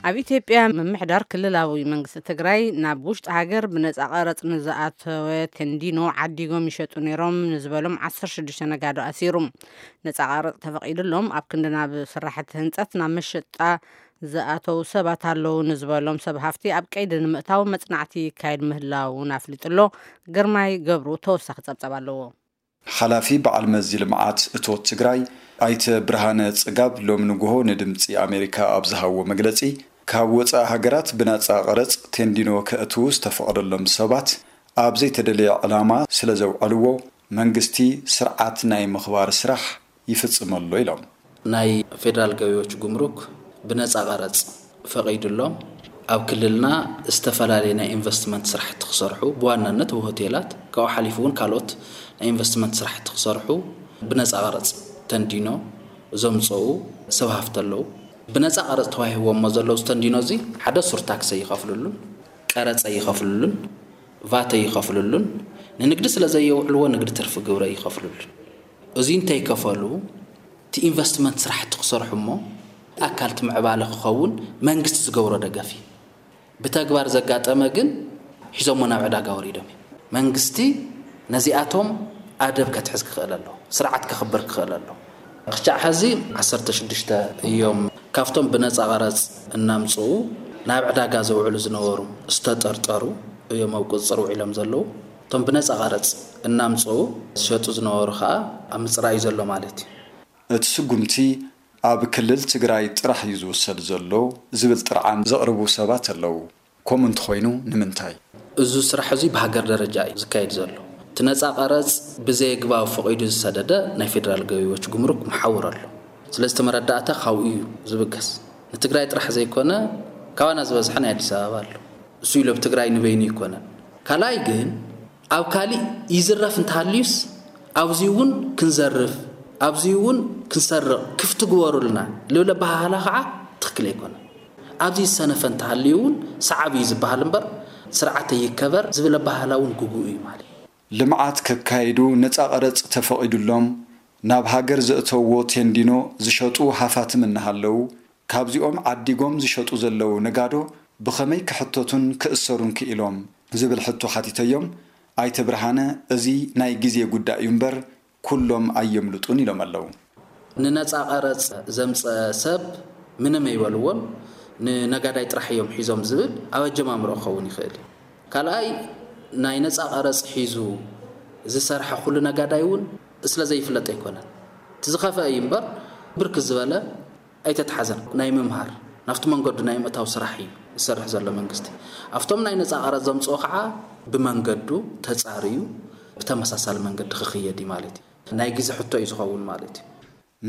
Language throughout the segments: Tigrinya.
ኣብ ኢትዮጵያ ምምሕዳር ክልላዊ መንግስቲ ትግራይ ናብ ውሽጢ ሃገር ብነፃ ቀረፅ ንዝኣተወ ቴንዲኖ ዓዲጎም ይሸጡ ነይሮም ንዝበሎም ዓሰርተ ሽዱሽተ ነጋዶ ኣሲሩ። ነፃ ቀረፅ ተፈቒዱሎም ኣብ ክንዲ ናብ ስራሕቲ ህንፀት ናብ መሸጣ ዝኣተው ሰባት ኣለዉ ንዝበሎም ሰብ ሃፍቲ ኣብ ቀይዲ ንምእታው መፅናዕቲ ይካየድ ምህላውን ኣፍሊጡ ኣሎ። ግርማይ ገብሩ ተወሳኺ ፀብፀብ ኣለዎ። ሓላፊ በዓል መዚ ልምዓት እቶት ትግራይ ኣይተ ብርሃነ ፅጋብ ሎም ንጉሆ ንድምፂ ኣሜሪካ ኣብ ዝሃዎ መግለፂ፣ ካብ ወፃኢ ሃገራት ብናፃ ቀረፅ ቴንዲኖ ከእትዉ ዝተፈቐደሎም ሰባት ኣብ ዘይተደለየ ዕላማ ስለ ዘውዐልዎ መንግስቲ ስርዓት ናይ ምኽባር ስራሕ ይፍፅመሎ ኢሎም። ናይ ፌደራል ገቢዎች ጉምሩክ ብነፃ ቀረፅ ፈቒዱሎም ኣብ ክልልና ዝተፈላለዩ ናይ ኢንቨስትመንት ስራሕቲ ክሰርሑ፣ ብዋናነት ኣብ ሆቴላት፣ ካብኡ ሓሊፉ እውን ካልኦት ናይ ኢንቨስትመንት ስራሕቲ ክሰርሑ ብነፃ ቀረፅ ተንዲኖ ዘምፀኡ ሰብ ሃፍቲ ኣለዉ። ብነፃ ቀረፅ ተዋሂቦሞ ዘለዉ ዝተንዲኖ እዚ ሓደ ሱር ታክሲ ኣይኸፍልሉን፣ ቀረፅ ኣይኸፍልሉን፣ ቫት ኣይኸፍልሉን፣ ንንግዲ ስለ ዘየውዕልዎ ንግዲ ትርፊ ግብሪ ኣይኸፍልሉን። እዚ እንተይከፈሉ እቲ ኢንቨስትመንት ስራሕቲ ክሰርሑ እሞ ኣካል እቲ ምዕባለ ክኸውን መንግስቲ ዝገብሮ ደገፍ እዩ። ብተግባር ዘጋጠመ ግን ሒዞሞ ናብ ዕዳጋ ወሪዶም እዮም። መንግስቲ ነዚኣቶም ኣደብ ከትሕዝ ክኽእል ኣለዎ፣ ስርዓት ከኽብር ክኽእል ኣለዎ። ክሻዕ ሕዚ ዓሰርተ ሽዱሽተ እዮም ካብቶም ብነፃ ቀረፅ እናምፅኡ ናብ ዕዳጋ ዘውዕሉ ዝነበሩ ዝተጠርጠሩ እዮም ኣብ ቁፅፅር ውዒሎም ዘለዉ። እቶም ብነፃ ቀረፅ እናምፅኡ ዝሸጡ ዝነበሩ ከዓ ኣብ ምፅራይ እዩ ዘሎ ማለት እዩ። እቲ ስጉምቲ ኣብ ክልል ትግራይ ጥራሕ እዩ ዝውሰድ ዘሎ ዝብል ጥርዓን ዘቕርቡ ሰባት ኣለዉ። ከምኡ እንተኾይኑ ንምንታይ? እዚ ስራሕ እዚ ብሃገር ደረጃ እዩ ዝካየድ ዘሎ። እቲ ነፃ ቀረፅ ብዘየግባብ ፈቒዱ ዝሰደደ ናይ ፌደራል ገቢዎች ጉምሩክ መሓውር ኣሎ። ስለዚ እቲ መረዳእታ ካብኡ እዩ ዝብገስ። ንትግራይ ጥራሕ ዘይኮነ ካባና ዝበዝሐ ናይ ኣዲስ ኣበባ ኣሎ። እሱ ኢሉ ኣብ ትግራይ ንበይኑ ኣይኮነን። ካልኣይ ግን ኣብ ካሊእ ይዝረፍ እንተሃልዩስ ኣብዚ እውን ክንዘርፍ፣ ኣብዚ እውን ክንሰርቕ ክፍቲ ግበሩልና ልብል ኣበሃህላ ከዓ ትኽክል ኣይኮነን። ኣብዚ ዝሰነፈ እንተሃልዩ እውን ሰዓብ እዩ ዝበሃል እምበር ስርዓት ይከበር ዝብል ኣበሃህላ እውን ግጉእ እዩ ማለት እዩ። ልምዓት ከካይዱ ነፃ ቀረፅ ተፈቒዱሎም ናብ ሃገር ዘእተውዎ ቴንዲኖ ዝሸጡ ሃፋትም እናሃለዉ ካብዚኦም ዓዲጎም ዝሸጡ ዘለዉ ነጋዶ ብኸመይ ክሕተቱን ክእሰሩን ክኢሎም ዝብል ሕቶ ሓቲተዮም ኣይተ ብርሃነ እዚ ናይ ግዜ ጉዳይ እዩ እምበር ኩሎም ኣየምልጡን ኢሎም ኣለዉ። ንነፃ ቀረፅ ዘምፀ ሰብ ምንም ኣይበልዎን፣ ንነጋዳይ ጥራሕ እዮም ሒዞም ዝብል ኣብ ኣጀማምሮ ክኸውን ይኽእል እዩ። ካልኣይ ናይ ነፃ ቀረፅ ሒዙ ዝሰርሐ ኩሉ ነጋዳይ እውን ስለ ዘይፍለጥ ኣይኮነን። እቲ ዝኸፍአ እዩ እምበር ብርክት ዝበለ ኣይተትሓዘን። ናይ ምምሃር ናብቲ መንገዱ ናይ ምእታው ስራሕ እዩ ዝሰርሕ ዘሎ መንግስቲ። ኣብቶም ናይ ነፃ ቀረፅ ዘምፅኦ ከዓ ብመንገዱ ተፃርዩ ብተመሳሳሊ መንገዲ ክኽየድ እዩ ማለት እዩ። ናይ ግዜ ሕቶ እዩ ዝኸውን ማለት እዩ።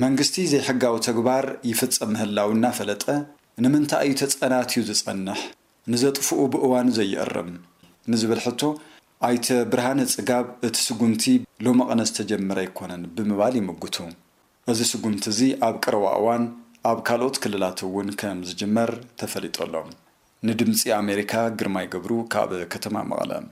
መንግስቲ ዘይሕጋዊ ተግባር ይፍፀም ምህላው እናፈለጠ ንምንታይ እዩ ተፀናትዩ ዝፀንሕ? ንዘጥፍኡ ብእዋኑ ዘይእርም ንዝብል ሕቶ ኣይተ ብርሃነ ፅጋብ እቲ ስጉምቲ ሎመቐነ ዝተጀመረ ኣይኮነን ብምባል ይምጉቱ። እዚ ስጉምቲ እዚ ኣብ ቀረባ እዋን ኣብ ካልኦት ክልላት እውን ከም ዝጅመር ተፈሊጡ ኣሎ። ንድምፂ ኣሜሪካ ግርማይ ገብሩ ካብ ከተማ መቐለ።